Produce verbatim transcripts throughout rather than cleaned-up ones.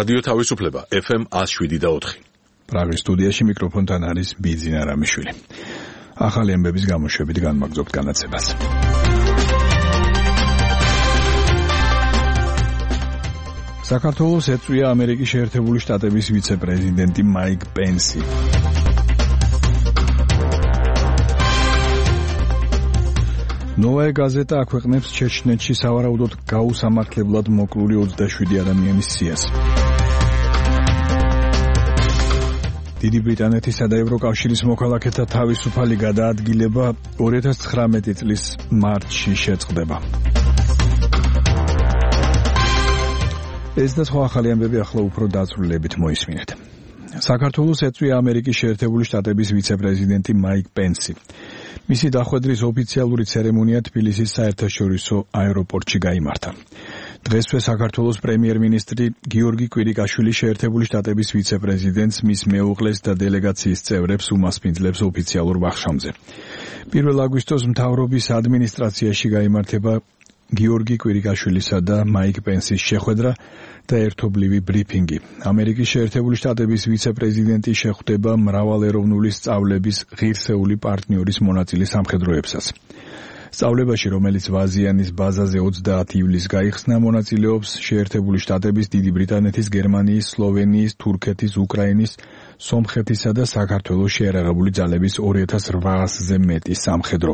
რადიო თავისუფლება ეფ ემ one oh seven point four. პრაღის სტუდიაში მიკროფონთან არის ბიძინა რამიშვილი. ახალი ამბების გამოშვებით განმაგზობთ განაცებას. საქართველოს ეწვია ამერიკის შეერთებული შტატების ვიცე-პრეზიდენტი მაიკ პენსი. ნოვაე გაზეტა აქვეყნებს ჩეჩნეთში სავარაუდოდ გაუსამართლებლად მოკლული ოცდაშვიდი ადამიანის სიას. დიდი ბრიტანეთისა და ევროკავშირის მოქალაქეთა თავისუფალი გადაადგილება ორი ათას ცხრამეტი წლის მარტში შეწყდება. ეს და სხვა ახალი ამბები ახლა უფრო დაწვრილებით მოისმინეთ. საქართველოს ეწვია ამერიკის შეერთებული შტატების ვიცე-პრეზიდენტი მაიკ პენსი. მისი დახვედრის ოფიციალური ცერემონია თბილისის საერთაშორისო აეროპორტში გაიმართა. დღესვე საქართველოს პრემიერ-მინისტრი გიორგი კვირიკაშვილი შეერთებული შტატების ვიცე-პრეზიდენტს, მის მეუღლეს და დელეგაციის წევრებს უმასპინძლებს ოფიციალურ ვახშამზე. პირველ აგვისტოს მთავრობის ადმინისტრაციაში გაიმართება გიორგი კვირიკაშვილისა და მაიკ პენსის შეხვედრა და ერთობლივი ბრიფინგი. ამერიკის შეერთებული შტატების ვიცე-პრეზიდენტი შეხვდება მრავალეროვნული სწავლების ღირსეული პარტნიორის მონაწილე სამხედროებსაც. სწავლებაში, რომელიც ვაზიანის ბაზაზე ოცდაათი ივლისს გაიხსნა, მონაწილეობს შეერთებული შტატების, დიდი ბრიტანეთის, გერმანიის, სლოვენიის, თურქეთის, უკრაინის, სომხეთისა და საქართველოს შეერაღებული ძალების ორი ათას რვაასზე მეტი სამხედრო.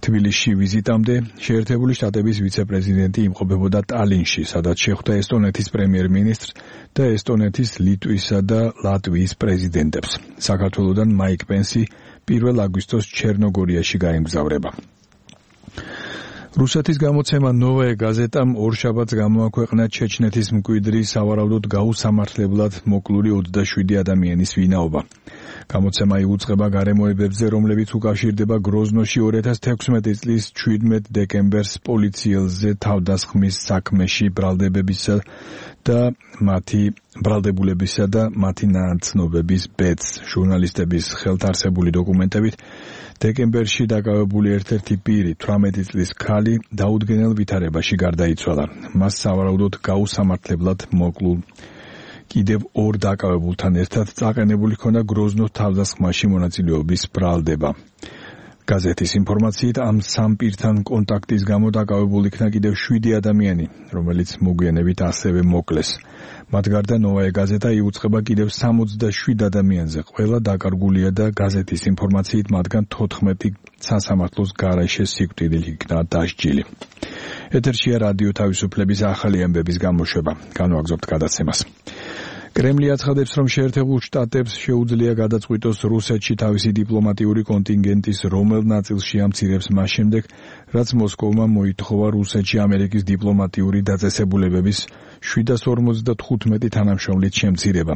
თბილისში ვიზიტამდე შეერთებული შტატების ვიცე-პრეზიდენტი იმყოფებოდა ტალინში, სადაც შეხვდა ესტონეთის პრემიერ-მინისტრს და ესტონეთის, ლიტვისა და ლატვიის პრეზიდენტებს. საქართველოდან მაიკ პენსი პირველ აგვისტოს ჩერნოგორიაში გაემგზავრება. რუსეთის გამოცემა ნოვაე გაზეტამ ორშაბათს გამოაქვეყნა ჩეჩნეთის მკვიდრი სავარაუდოდ გაუსამართლებლად მოკლული ოცდაშვიდი ადამიანის ვინაობა. გამოცემა იუწყება გარემოებებზე, რომლებიც უკავშირდება გროზნოში ორი ათას თექვსმეტი წლის შვიდმეტ დეკემბერს პოლიციელზე თავდასხმის საქმეში ბრალდებებისა და მათი ბრალდებულებისა და მათი ნაცნობების ბედს. ჟურნალისტების ხელთარსებული დოკუმენტებით დეკემბერში დაკავებული ერთ-ერთი პირი, თვრამეტი წლის ქალი, დაუდგენელ ვითარებაში გარდაიცვალა. მას სავარაუდოდ გაუსამართლებლად მოკლულ კიდევ ორ დაკავებულთან ერთად წაყენებული ჰქონდა გროზნოს თავდასხმაში მონაწილეობის ბრალდება. გაზეთის ინფორმაციით ამ სამ პირთან კონტაქტის გამო დაკავებულ იქნა კიდევ შვიდი ადამიანი, რომელიც მოგვიანებით ასევე მოკლეს. მათ გარდა ნოვაე გაზეტა იუწყება კიდევ სამოცდაშვიდ ადამიანზე. ყველა დაკარგულია და გაზეთის ინფორმაციით მათგან თოთხმეტი სასამართლოს გარეშე სიკვდილით იქნა დასჯილი. ეთერშია რადიო თავისუფლების ახალი ამბების გამოშვება. განვაგზობთ გადაცემას. კრემლი აცხადებს, რომ შეერთებულ შტატებს შეუძლია გადაწყვიტოს რუსეთში თავისი დიპლომატიური კონტინგენტის რომელ ნაწილში ამცირებს მას შემდეგ, რაც მოსკოვმა მოითხოვა რუსეთში ამერიკის დიპლომატიური დაწესებულებების შვიდას ორმოცდათხუთმეტი თანამშრომლის შემცირება.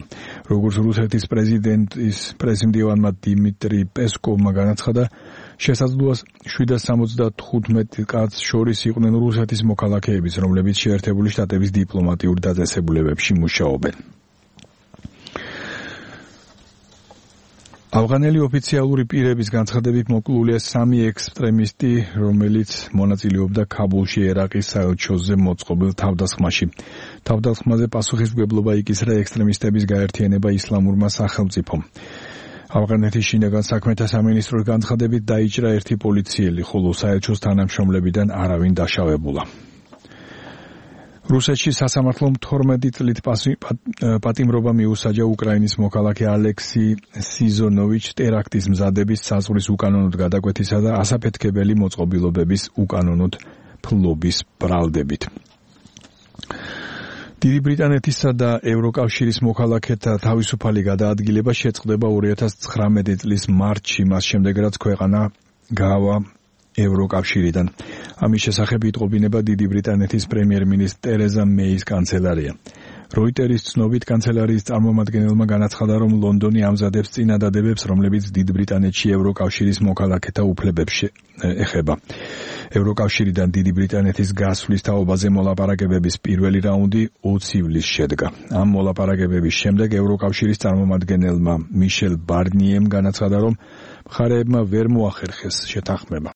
როგორც რუსეთის პრეზიდენტის პრესმდივანმა დიმიტრი პესკოვმა განაცხადა, შესაძლოა შვიდას სამოცდათხუთმეტ კაცს შორის იყვნენ რუსეთის მოქალაქეებიც, რომლებიც შეერთებული შტატების დიპლომატიურ დაწესებულებებში მუშაობენ. ავღანელი ოფიციალური პირების განცხადებით მოკლულია სამი ექსტრემისტი, რომელიც მონაწილეობდა ქაბულში ერაყის საელჩოზე მოწყობილ თავდასხმაში. თავდასხმაზე პასუხისმგებლობა იკისრა ექსტრემისტების გაერთიანება ისლამურმა სახელმწიფომ. ავღანეთის შინაგან საქმეთა სამინისტროს განცხადებით დაიჭრა ერთი პოლიციელი, ხოლო საელჩოს თანამშრომლებიდან არავინ დაშავებულა. რუსეთში სასამართლომ თორმეტი წლით პატიმრობა მიუსაჯა უკრაინის მოქალაქე ალექსი სიზონოვიჩ ტერაქტის მზადების, საზღვრის უკანონოდ გადაკვეთისა და ასაფეთქებელი მოწყობილობების უკანონოდ ფლობის ბრალდებით. დიდი ბრიტანეთისა და ევროკავშირის მოქალაქეთა თავისუფალი გადაადგილება შეწყდება ორი ათას ცხრამეტი წლის მარტში, მას შემდეგ რაც ქვეყანა გაავა ევროკავშირიდან. ამის შესახებ იტყობინება დიდი ბრიტანეთის პრემიერ-მინისტრი ტერეზა მეის კანცელარია. როიტერის ცნობით კანცელარიის წარმომადგენელმა განაცხადა, რომ ლონდონი ამზადებს წინადადებებს, რომლებიც დიდ ბრიტანეთში ევროკავშირის მოქალაქეთა უფლებებს ეხება. ევროკავშირიდან დიდი ბრიტანეთის გასვლის თაობაზე მოლაპარაკებების პირველი რაუნდი ოცი ივლისს შედგა. ამ მოლაპარაკებების შემდეგ ევროკავშირის წარმომადგენელმა მიშელ ბარნიემ განაცხადა, რომ მხარეებმა ვერ მოახერხეს შეთანხმება.